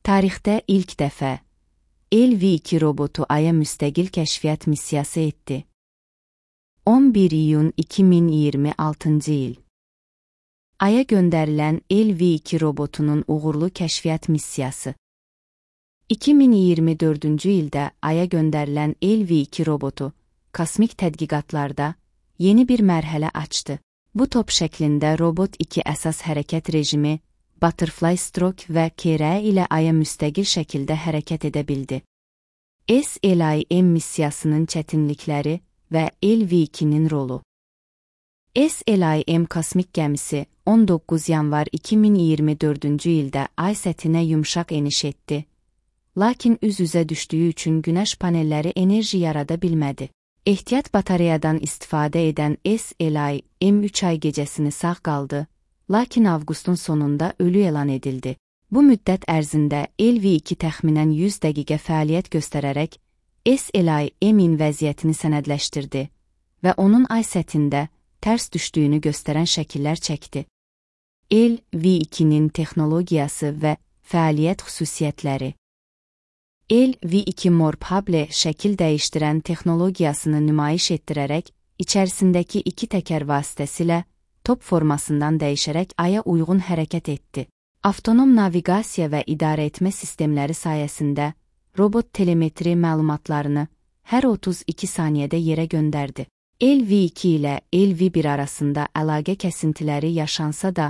Tarixdə ilk dəfə LV-2 robotu Aya müstəqil kəşfiyyat missiyası etdi. 11 iyun 2026-cı il. Aya göndərilən LV-2 robotunun uğurlu kəşfiyyat missiyası. 2024-cü ildə Aya göndərilən LV-2 robotu kosmik tədqiqatlarda yeni bir mərhələ açdı. Bu top şəklində robot iki əsas hərəkət rejimi, Butterfly Stroke və KRE ilə Aya müstəqil şəkildə hərəkət edə bildi. SLIM missiyasının çətinlikləri və LV-2-nin rolu. SLIM kosmik gəmisi 19 yanvar 2024-cü ildə Ay səthinə yumşaq eniş etdi, lakin üz-üzə düşdüyü üçün günəş panelləri enerji yarada bilmədi. Ehtiyat batareyadan istifadə edən SLIM 3 ay gecəsini sağ qaldı, lakin avqustun sonunda ölü elan edildi. Bu müddət ərzində LV-2 təxminən 100 dəqiqə fəaliyyət göstərərək SLIM-in vəziyyətini sənədləşdirdi və onun Ay səthində tərs düşdüyünü göstərən şəkillər çəkdi. LV-2-nin texnologiyası və fəaliyyət xüsusiyyətləri. LV-2 Morphable şəkil dəyişdirən texnologiyasını nümayiş etdirərək, içərisindəki iki təkər vasitəsilə top formasından dəyişərək Aya uyğun hərəkət etdi. Avtonom naviqasiya və idarəetmə sistemləri sayəsində robot telemetri məlumatlarını hər 32 saniyədə yerə göndərdi. LV-2 ilə LV-1 arasında əlaqə kəsintiləri yaşansa da,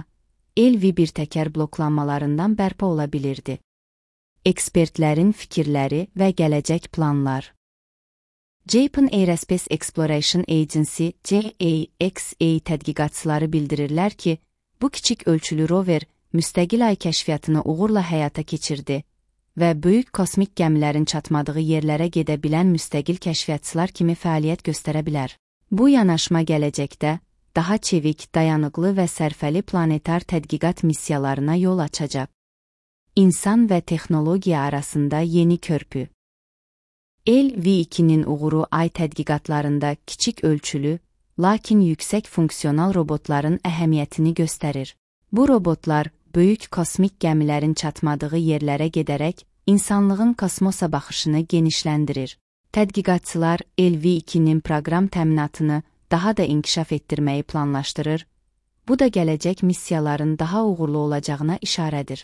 LV-1 təkər bloklanmalarından bərpa ola bilirdi. Ekspertlərin fikirləri və gələcək planlar. Japan Aerospace Exploration Agency JAXA tədqiqatçıları bildirirlər ki, bu kiçik ölçülü rover müstəqil Ay kəşfiyyatını uğurla həyata keçirdi və böyük kosmik gəmilərin çatmadığı yerlərə gedə bilən müstəqil kəşfiyyatçılar kimi fəaliyyət göstərə bilər. Bu yanaşma gələcəkdə daha çevik, dayanıqlı və sərfəli planetar tədqiqat missiyalarına yol açacaq. İnsan və texnologiya arasında yeni körpü. LV-2-nin uğuru Ay tədqiqatlarında kiçik ölçülü, lakin yüksək funksional robotların əhəmiyyətini göstərir. Bu robotlar böyük kosmik gəmilərin çatmadığı yerlərə gedərək insanlığın kosmosa baxışını genişləndirir. Tədqiqatçılar LV-2-nin proqram təminatını daha da inkişaf etdirməyi planlaşdırır. Bu da gələcək missiyaların daha uğurlu olacağına işarədir.